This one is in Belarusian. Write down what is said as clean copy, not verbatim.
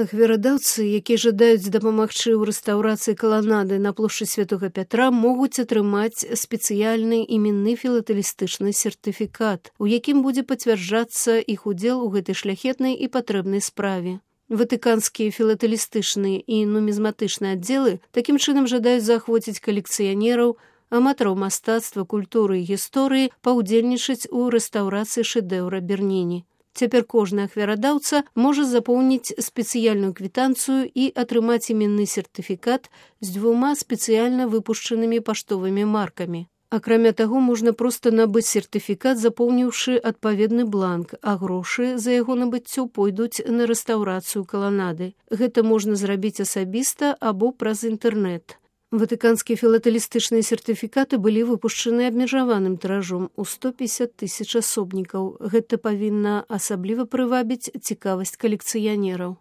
Ахвярадаўцы, якія жадаюць дапамагчы ў рэстаўрацыі каланады на плошчы Святога Пятра, могуць атрымаць спецыяльны іменны філатэлістычны сертыфікат, у якім будзе пацвярджацца іх удзел у гэтай шляхетнай і патрэбнай справе. Ватыканскія філатэлістычныя і нумізматычныя аддзелы такім чынам жадаюць заахвоціць калекцыянераў, аматараў мастацтва, культуры і гісторыі паўдзельнічаць у рэстаўрацыі шэдэўра Берніні. Цяпер кожны ахвярадаўца можа запоўніць спецыяльную квітанцыю і атрымаць іменны сертыфікат з 2 спецыяльна выпушчанымі паштовымі маркамі. Акрамя таго, можна проста набыць сертыфікат, запоўніўшы адпаведны бланк, а грошы за яго набыццё пойдуць на рэстаўрацыю каланады. Гэта можна зрабіць асабіста або праз інтэрнэт. Ватыканскія філатэлістычныя сертыфікаты былі выпушчаны абмежаваным тыражом у 150 000 асобнікаў. Гэта павінна асабліва прывабіць цікавасць калекцыянераў.